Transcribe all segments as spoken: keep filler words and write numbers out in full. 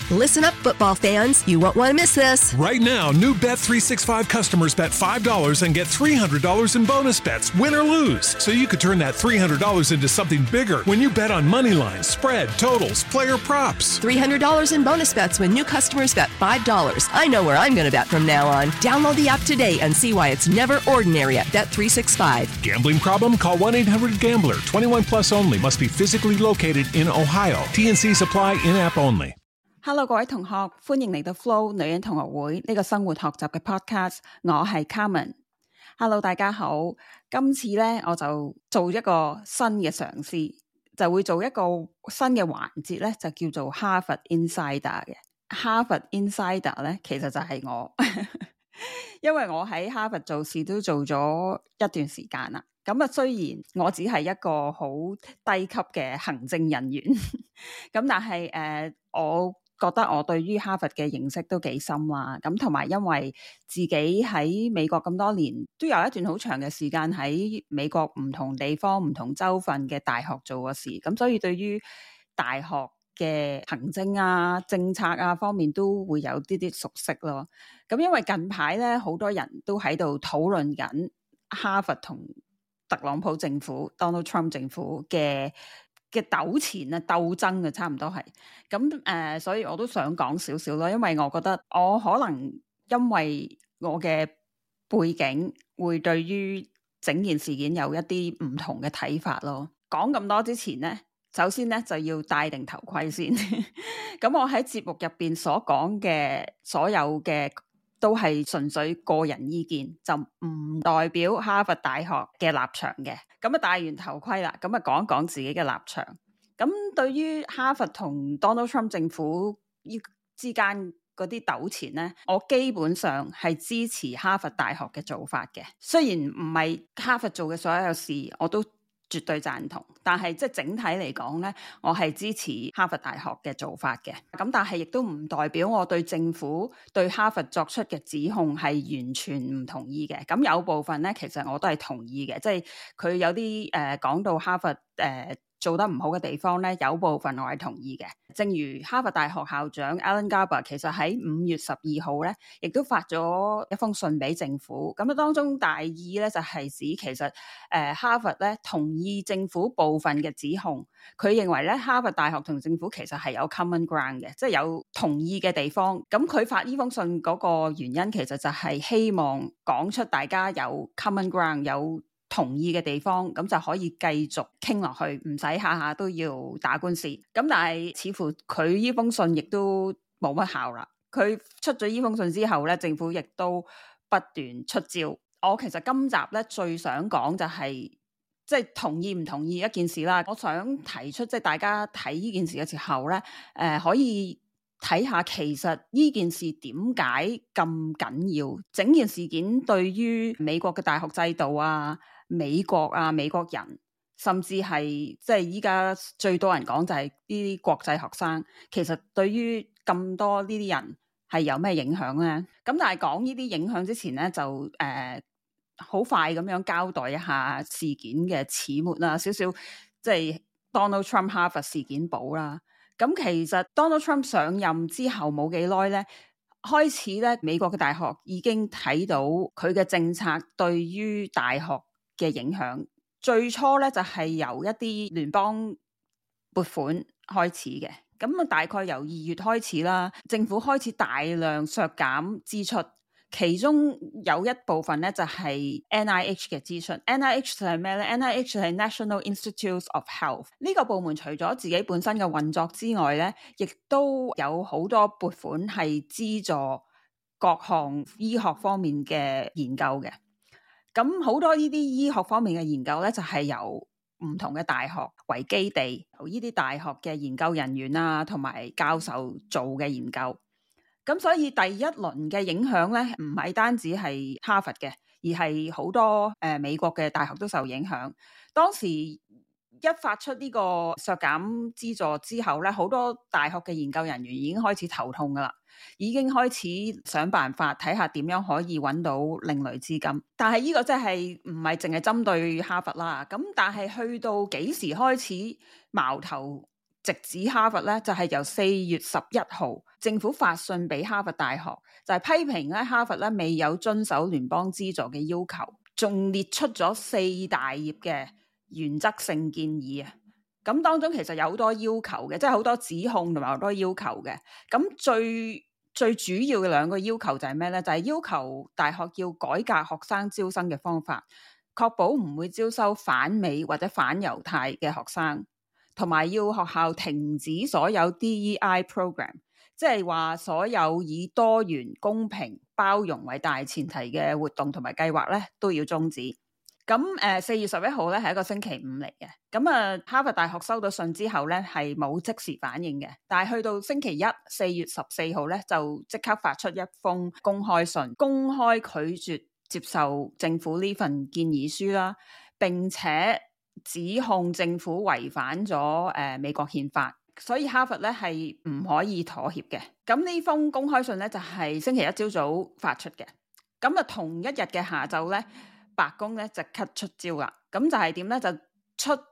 Listen up, football fans. You won't want to miss this. Right now, new Bet three sixty-five customers bet five dollars and get three hundred dollars in bonus bets, win or lose. So you could turn that three hundred dollars into something bigger when you bet on money lines, spread, totals, player props. three hundred dollars in bonus bets when new customers bet five dollars. I know where I'm going to bet from now on. Download the app today and see why it's never ordinary at Bet three sixty-five. Gambling problem? Call one eight hundred gambler. twenty-one plus only. Must be physically located in Ohio. T N C supply in-app only. Hello， 各位同學，歡迎嚟到 Flo 女人同學會呢個生活學習嘅 podcast， 我係 Carmen。Hello， 大家好，今次呢，我就做一個新嘅嘗試，就會做一個新嘅環節呢，就叫做哈佛 Insider 嘅。哈佛 Insider 呢，其實就係我，因為我喺哈佛做事都做咗一段時間啦。咁啊，雖然我只係一個好低級嘅行政人員，咁但係誒、呃，我覺得我對於哈佛嘅認識都幾深啦，咁同埋因為自己喺美國咁多年，都有一段好長嘅時間喺美國唔同地方、唔同州份嘅大學做過事，咁所以對於大學嘅行政啊、政策啊方面都會有啲啲熟悉咯。咁因為近排咧，好多人都喺度討論緊哈佛同特朗普政府 Donald Trump 政府嘅嘅糾纏啊、鬥爭啊，差唔多係咁誒，所以我都想講少少咯，因為我覺得我可能因為我嘅背景，會對於整件事件有一啲唔同嘅睇法咯。講咁多之前呢，首先呢就要戴定頭盔先。咁我喺節目入邊所講嘅所有嘅都係純粹個人意見，就唔代表哈佛大學嘅立場嘅。咁啊戴完頭盔啦，咁啊講一講自己嘅立場。咁對於哈佛同 Donald Trump 政府之間嗰啲糾纏呢，我基本上係支持哈佛大學嘅做法嘅。雖然唔係哈佛做嘅所有事，我都絕對贊同，但係即係整體嚟講呢，我係支持哈佛大學嘅做法嘅。咁但係亦都唔代表我對政府對哈佛作出嘅指控係完全唔同意嘅。咁有部分呢，其實我都係同意嘅，即係佢有啲誒講到哈佛誒、呃做得唔好嘅地方咧，有部分我係同意嘅。正如哈佛大學校長 Alan Garber 其實喺五月十二號咧，亦都發咗一封信俾政府。咁啊，當中大意咧就係、是、指其實誒、呃、哈佛咧同意政府部分嘅指控。佢認為咧哈佛大學同政府其實係有 common ground 嘅，即係有同意嘅地方。咁佢發呢封信嗰個原因，其實就係希望講出大家有 common ground 有同意嘅地方，咁就可以繼續傾落去，唔使下下都要打官司。咁但係似乎佢呢封信亦都冇乜效啦。佢出咗呢封信之後咧，政府亦都不斷出招。我其實今集咧最想講就係即係同意唔同意一件事啦。我想提出即係大家睇呢件事嘅時候咧，誒、呃、可以睇下其實呢件事點解咁緊要？整件事件對於美國嘅大學制度啊、美國啊、美國人，甚至係即係依家最多人講就係呢啲國際學生，其實對於咁多呢啲人係有咩影響呢？咁但係講呢啲影響之前呢，就誒好、呃、快咁樣交代一下事件嘅始末啦，少少即係 Donald Trump 哈佛事件簿啦。咁其實 Donald Trump 上任之後冇幾耐咧，開始咧美國嘅大學已經睇到佢嘅政策對於大學嘅影響。最初咧就係、是、由一啲聯邦撥款開始嘅，咁啊大概由二月開始啦，政府開始大量削減支出。其中有一部分咧就係 N I H 嘅支出。 N I H 就係咩咧？ N I H 就係 National Institutes of Health。 呢個部門除咗自己本身嘅運作之外咧，亦都有好多撥款係資助各項醫學方面嘅研究嘅。咁好多呢啲醫學方面嘅研究咧，就係由唔同嘅大學為基地，由呢啲大學嘅研究人員啊同埋教授做嘅研究。咁所以第一輪嘅影響咧，唔係單止係哈佛嘅，而係好多誒、呃、美國嘅大學都受影響。當時一發出呢個削減資助之後咧，好多大學嘅研究人員已經開始頭痛噶啦，已經開始想辦法睇下點樣可以揾到另類資金。但係呢個真係唔係淨係針對哈佛啦。咁但係去到幾時開始矛頭直指哈佛咧，就係、是、由四月十一號政府發信俾哈佛大學，就係、是、批評咧哈佛咧未有遵守聯邦資助嘅要求，仲列出咗四大頁嘅原則性建議啊。咁當中其實有好多要求嘅，即係好多指控同埋好多要求嘅。咁最最主要嘅兩個要求就係咩咧？就係、是、要求大學要改革學生招生嘅方法，確保唔會招收反美或者反猶太嘅學生。同埋要學校停止所有 D E I program， 即係話所有以多元、公平、包容為大前提嘅活動同埋計劃咧，都要終止。咁誒四月十一號咧係一個星期五嚟嘅。咁啊哈佛大學收到信之後咧係冇即時反應嘅，但係去到星期一四月十四號咧就即刻發出一封公開信，公開拒絕接受政府呢份建議書啦，並且指控政府違反咗誒、呃、美國憲法，所以哈佛咧係唔可以妥協嘅。咁呢封公開信咧就係、是、星期一朝早發出嘅。咁啊同一日嘅下晝咧，白宮咧即刻出招啦。咁就係點咧？就出誒、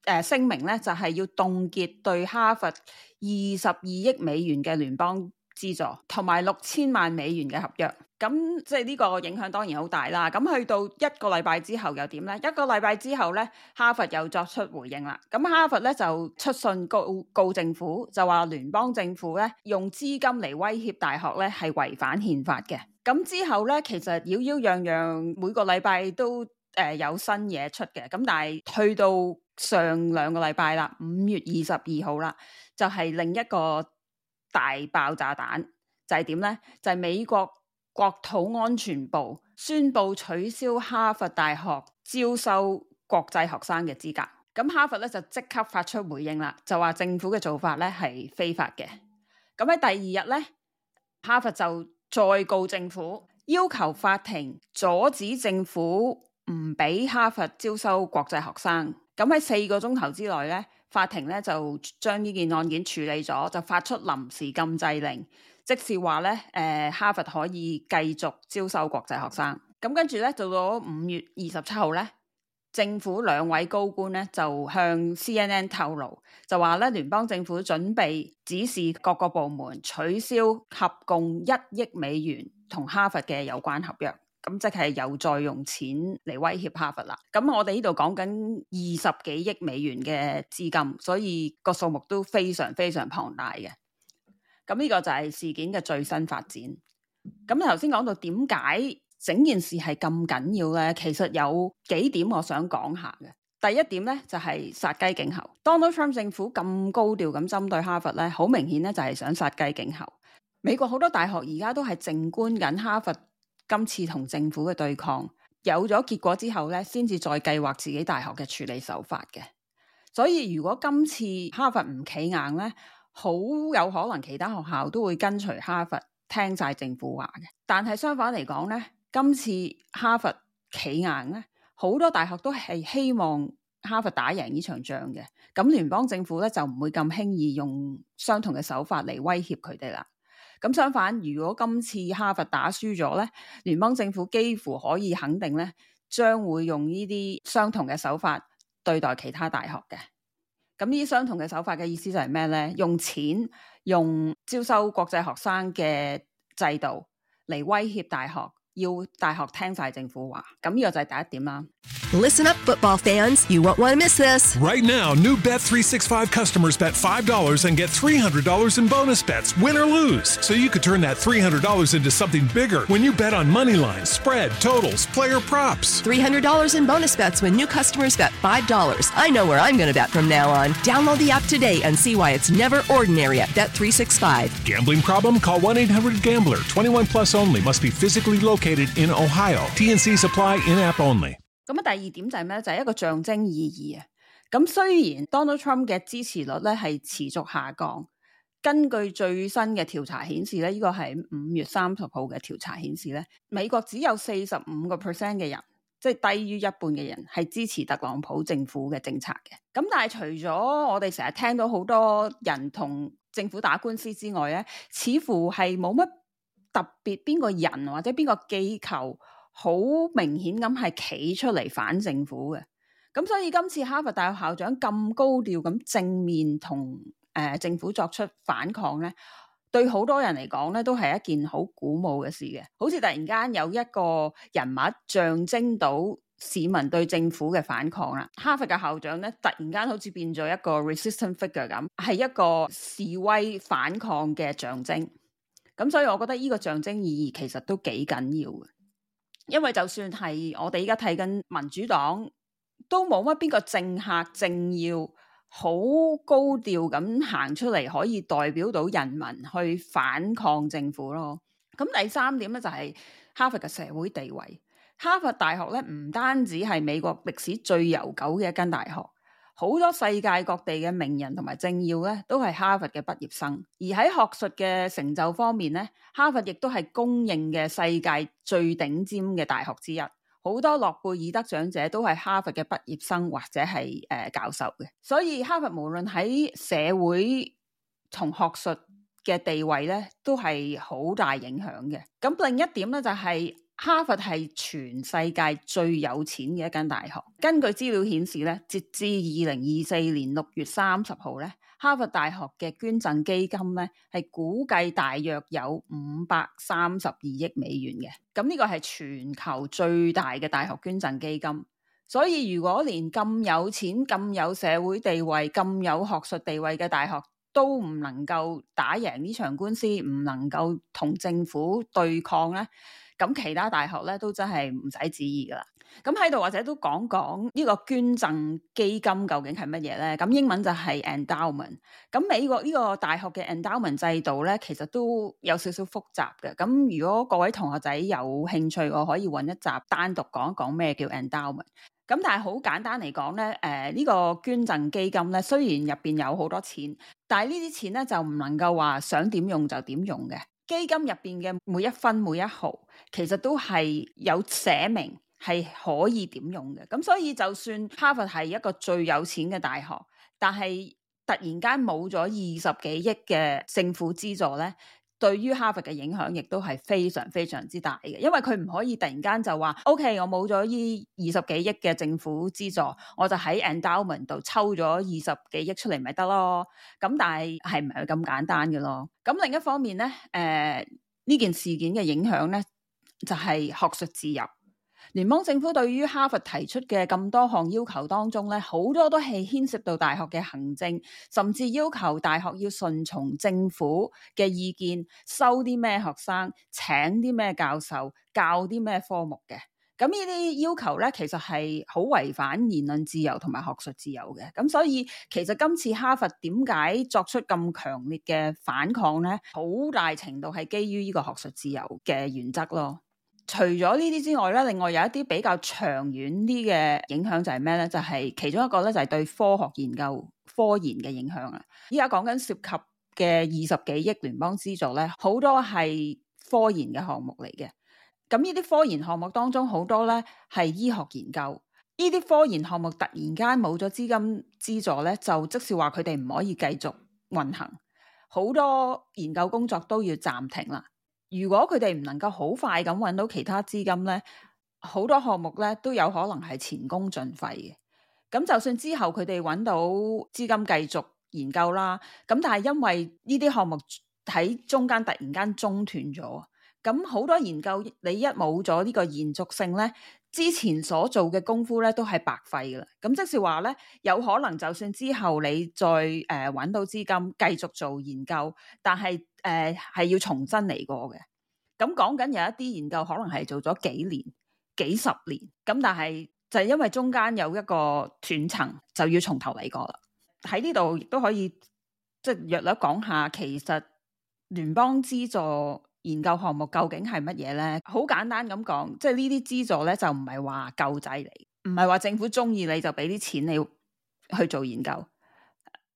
呃、聲明咧，就係、是、要凍結對哈佛二十二億美元嘅聯邦資助，同埋六千萬美元嘅合約。咁即係呢個影響當然好大啦。咁去到一個禮拜之後又點呢？一個禮拜之後呢，哈佛又作出回應啦。咁哈佛咧就出信告告政府，就話聯邦政府咧用資金嚟威脅大學咧係違反憲法嘅。咁之後咧，其實擾擾攘攘每個禮拜都誒、呃、有新嘢出嘅。咁但係去到上兩個禮拜啦，五月二十二號啦，就係、是、另一個大爆炸彈，就係點呢？就係、是、美國國土安全部宣布取消哈佛大學招收國際學生嘅資格。咁哈佛咧就即刻發出回應啦，就話政府嘅做法咧係非法嘅。咁喺第二日咧，哈佛就再告政府，要求法庭阻止政府唔俾哈佛招收國際學生。咁喺四個鐘頭之內咧，法庭咧就將呢件案件處理咗，就發出臨時禁制令。即是話咧，誒、呃、哈佛可以繼續招收國際學生。咁跟住咧，到咗五月二十七號咧，政府兩位高官咧就向 C N N 透露，就話咧聯邦政府準備指示各個部門取消合共一億美元同哈佛嘅有關合約。咁即係又再用錢嚟威脅哈佛啦。咁我哋呢度講緊二十幾億美元嘅資金，所以個數目都非常非常龐大嘅。咁呢個就係事件嘅最新發展。咁頭先講到點解整件事係咁緊要呢？其實有幾點我想講下嘅。第一點呢，就係殺雞儆猴。Donald Trump 政府咁高調咁針對哈佛呢，好明顯呢就係想殺雞儆猴。美國好多大學而家都係靜觀緊哈佛今次同政府嘅對抗，有咗結果之後呢，先至再計劃自己大學嘅處理手法嘅。所以如果今次哈佛唔企硬呢，好有可能其他學校都會跟隨哈佛聽晒政府話嘅。但係相反嚟講呢，今次哈佛企硬呢，好多大學都係希望哈佛打贏呢場仗嘅。咁聯邦政府咧就唔會咁輕易用相同嘅手法嚟威脅佢哋啦。咁相反，如果今次哈佛打輸咗呢，聯邦政府幾乎可以肯定呢，將會用呢啲相同嘅手法對待其他大學嘅。咁呢啲相同嘅手法嘅意思就係咩呢？用錢、用招收國際學生嘅制度嚟威脅大學，要大學聽晒政府話。咁呢個就係第一點啦。Listen up, football fans. You won't want to miss this. Right now, new Bet three sixty-five customers bet five dollars and get three hundred dollars in bonus bets, win or lose. So you could turn that three hundred dollars into something bigger when you bet on money lines, spread, totals, player props. three hundred dollars in bonus bets when new customers bet five dollars. I know where I'm going to bet from now on. Download the app today and see why it's never ordinary at Bet three sixty-five. Gambling problem? Call one eight hundred gambler. twenty-one plus only. Must be physically located in Ohio. T N C supply in-app only. 咁啊，第二點就係咩？就係、是、一個象徵意義啊。咁雖然 Donald Trump 嘅支持率咧係持續下降，根據最新嘅調查顯示咧，呢、這個係五月三十號嘅調查顯示咧，美國只有四十五個 percent 嘅人，即係低於一半嘅人係支持特朗普政府嘅政策嘅。咁但係除咗我哋成日聽到好多人同政府打官司之外咧，似乎係冇乜特別邊個人或者邊個機構好明顯咁係企出嚟反政府嘅。咁所以今次哈佛大學校長咁高調咁正面同呃、政府作出反抗咧，對好多人嚟講咧都係一件好鼓舞嘅事嘅，好似突然間有一個人物象徵到市民對政府嘅反抗啦。哈佛嘅校長咧突然間好似變咗一個 resistant figure 咁，係一個示威反抗嘅象徵。咁所以我覺得呢個象徵意義其實都幾緊要嘅，因為就算係我哋而家睇緊民主黨，都冇乜邊個政客政要好高調咁行出嚟可以代表到人民去反抗政府咯。咁第三點咧就係哈佛嘅社會地位。哈佛大學咧唔單止係美國歷史最悠久嘅一間大學，好多世界各地嘅名人同埋政要咧都係哈佛嘅畢業生。而喺學術嘅成就方面咧，哈佛亦都係公認嘅世界最頂尖嘅大學之一。好多諾貝爾得獎者都係哈佛嘅畢業生或者係誒、呃、教授嘅。所以哈佛無論喺社會同學術嘅地位咧都係好大影響嘅。咁另一點咧就係、是哈佛係全世界最有錢嘅一間大學。根據資料顯示咧，截至二零二四年六月三十號咧，哈佛大學嘅捐贈基金咧係估計大約有五百三十二億美元嘅。咁呢個係全球最大嘅大學捐贈基金。所以如果連咁有錢、咁有社會地位、咁有學術地位嘅大學都唔能夠打贏呢場官司，唔能夠同政府對抗咧，咁其他大學咧都真係唔使旨意噶啦。咁喺度或者都講講呢個捐贈基金究竟係乜嘢咧？咁英文就係 endowment。咁美國呢個大學嘅 endowment 制度咧，其實都有少少複雜嘅。咁如果各位同學仔有興趣，我可以揾一集單獨講一講咩叫 endowment。咁但係好簡單嚟講咧，誒、呃、呢、這個捐贈基金咧，雖然入邊有好多錢，但係呢啲錢咧就唔能夠話想點用就點用嘅。基金入邊嘅每一分每一毫，其實都係有寫明係可以點用嘅。咁所以就算哈佛係一個最有錢嘅大學，但係突然間冇咗二十幾億嘅政府資助咧，對於哈佛嘅影響亦都係非常非常之大嘅。因為佢唔可以突然間就話 OK， 我冇咗呢二十幾億嘅政府資助，我就喺 endowment 度抽咗二十幾億出嚟咪得咯。咁但係係唔係咁簡單嘅咯？咁另一方面咧，誒、呃、呢件事件嘅影響咧就係、是、學術自由。聯邦政府對於哈佛提出嘅咁多項要求當中咧，好多都係牽涉到大學嘅行政，甚至要求大學要順從政府嘅意見，收啲咩學生，請啲咩教授，教啲咩科目嘅。咁呢啲要求咧，其實係好違反言論自由同埋學術自由嘅。咁所以其實今次哈佛點解作出咁強烈嘅反抗咧？好大程度係基於呢個學術自由嘅原則咯。除咗呢啲之外咧，另外有一啲比較長遠啲嘅影響就係咩咧？就係、是、其中一個咧，就係對科學研究、科研嘅影響啊！依家講緊涉及嘅二十幾億聯邦資助咧，好多係科研嘅項目嚟嘅。咁呢啲科研項目當中，好多咧係醫學研究。呢啲科研項目突然間冇咗資金資助咧，就即是話佢哋唔可以繼續運行，好多研究工作都要暫停啦。如果佢哋唔能夠好快咁揾到其他資金咧，好多項目咧都有可能係前功盡廢嘅。咁就算之後佢哋揾到資金繼續研究啦，咁但係因為呢啲項目喺中間突然間中斷咗，咁好多研究你一冇咗呢個延續性咧，之前所做嘅功夫咧都係白費噶啦。咁即是話咧，有可能就算之後你再誒揾、呃、到資金繼續做研究，但係誒係要重新嚟過嘅。咁講緊有一啲研究可能係做咗幾年、幾十年，咁但係就係因為中間有一個斷層，就要從頭嚟過啦。喺呢度亦都可以即係略略講下，其實聯邦資助研究項目究竟係乜嘢咧？好簡單咁講，即係呢啲資助咧就唔係話救濟嚟，唔係話政府中意你就俾啲錢你去做研究。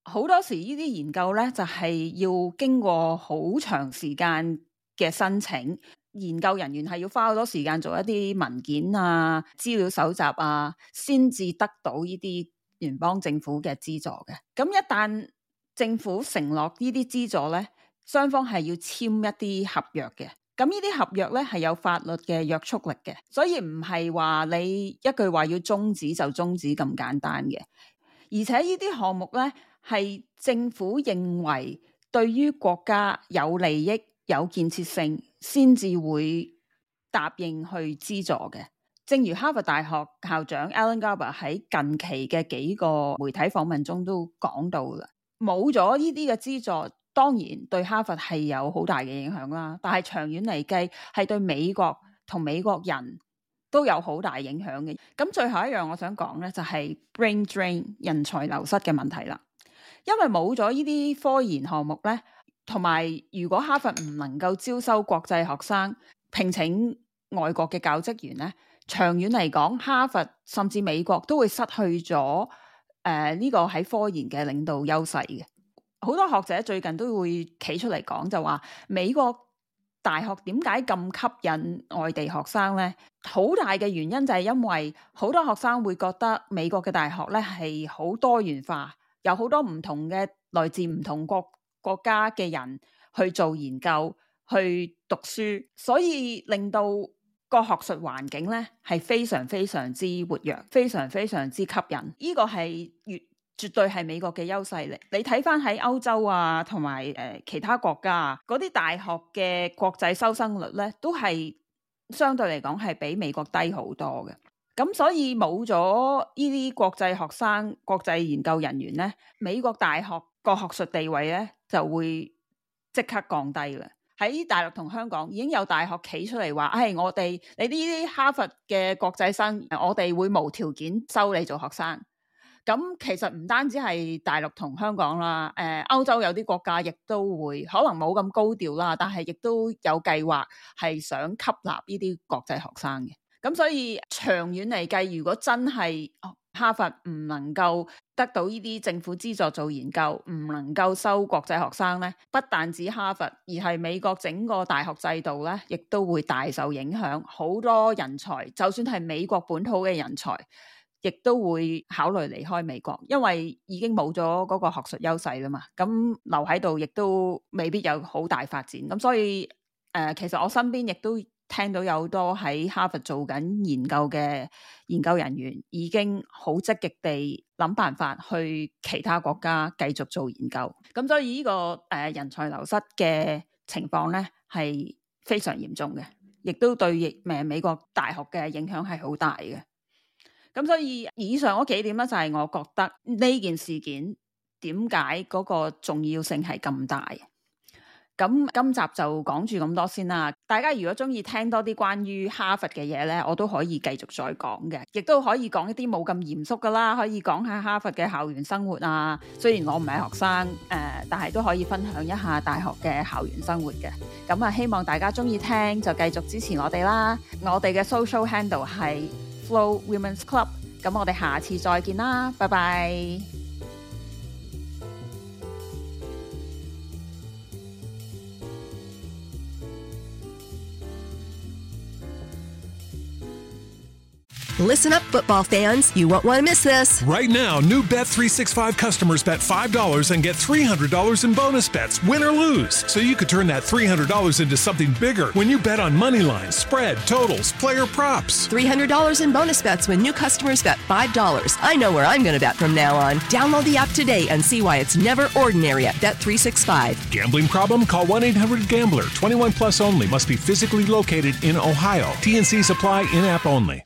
好多時呢啲研究咧就係要經過好長時間嘅申請，研究人員係要花好多時間做一啲文件啊、資料搜集啊，先至得到呢啲聯邦政府嘅資助嘅。咁一旦政府承諾呢啲資助咧，雙方係要簽一啲合約嘅。咁呢啲合約咧係有法律嘅約束力嘅，所以唔係話你一句話要終止就終止咁簡單嘅。而且呢啲項目咧係政府認為對於國家有利益、有建設性，先至會答應去資助嘅。正如哈佛大學校長 Alan Garber 喺近期嘅幾個媒體訪問中都講到啦，冇咗呢啲嘅資助，當然對哈佛係有好大嘅影響啦。但係長遠嚟計，係對美國同美國人都有好大影響嘅。咁最後一樣我想講呢，就係 brain drain 人才流失嘅問題啦。因為冇咗呢啲科研項目呢，同埋如果哈佛唔能夠招收國際學生，聘請外國嘅教職員呢，長遠嚟講，哈佛甚至美國都會失去咗誒呢個喺科研嘅領導優勢嘅。好多學者最近都會企出嚟講，就話美國大學點解咁吸引外地學生呢？好大嘅原因就係因為好多學生會覺得美國嘅大學呢係好多元化，有好多唔同嘅來自唔同國國家嘅人去做研究、去讀書，所以令到個學術環境咧係非常非常之活躍，非常非常之吸引。呢個係越絕對係美國嘅優勢嚟。你睇翻喺歐洲啊，同埋誒其他國家啊，嗰啲大學嘅國際收生率咧，都係相對嚟講係比美國低好多嘅。咁所以冇咗呢啲國際學生、國際研究人員咧，美國大學個學術地位咧就會即刻降低啦。喺大陸同香港已經有大學企出嚟話，唉、哎，我哋你呢啲哈佛嘅國際生，我哋會無條件收你做學生。咁其實唔單止係大陸同香港啦，誒、呃，歐洲有啲國家亦都會，可能冇咁高調啦，但係亦都有計劃係想吸納呢啲國際學生嘅。咁所以長遠嚟計，如果真係哈佛唔能夠得到呢啲政府資助做研究，唔能夠收國際學生呢，不但止哈佛，而係美國整個大學制度呢，亦都會大受影響。好多人才，就算係美國本土嘅人才，亦都會考慮離開美國，因為已經冇咗嗰個學術優勢啦嘛。咁留喺度，亦都未必有好大發展。咁所以誒、呃，其實我身邊亦都聽到有好多喺哈佛做緊研究嘅研究人員已經好積極地諗辦法去其他國家繼續做研究，咁所以呢、這個誒、呃、人才流失嘅情況咧係非常嚴重嘅，亦都對誒美國大學嘅影響係好大嘅。咁所以以上嗰幾點咧就係、是、我覺得呢件事件點解嗰個重要性係咁大。咁今集就講住咁多先啦。大家如果中意聽多啲關於哈佛嘅嘢呢，我都可以繼續再講嘅，亦都可以講一啲冇咁嚴肅噶啦，可以講下哈佛嘅校園生活啊。雖然我唔係學生，誒、呃，但係都可以分享一下大學嘅校園生活嘅。咁啊，希望大家中意聽就繼續支持我哋啦。我哋嘅 social handle 係 Flo Women's Club。咁我哋下次再見啦，拜拜。Listen up, football fans. You won't want to miss this. Right now, new Bet three sixty-five customers bet five dollars and get three hundred dollars in bonus bets, win or lose. So you could turn that three hundred dollars into something bigger when you bet on money lines, spread, totals, player props. three hundred dollars in bonus bets when new customers bet five dollars. I know where I'm going to bet from now on. Download the app today and see why it's never ordinary at Bet three sixty-five. Gambling problem? Call one eight hundred gambler. twenty-one plus only. Must be physically located in Ohio. T and C's apply in-app only.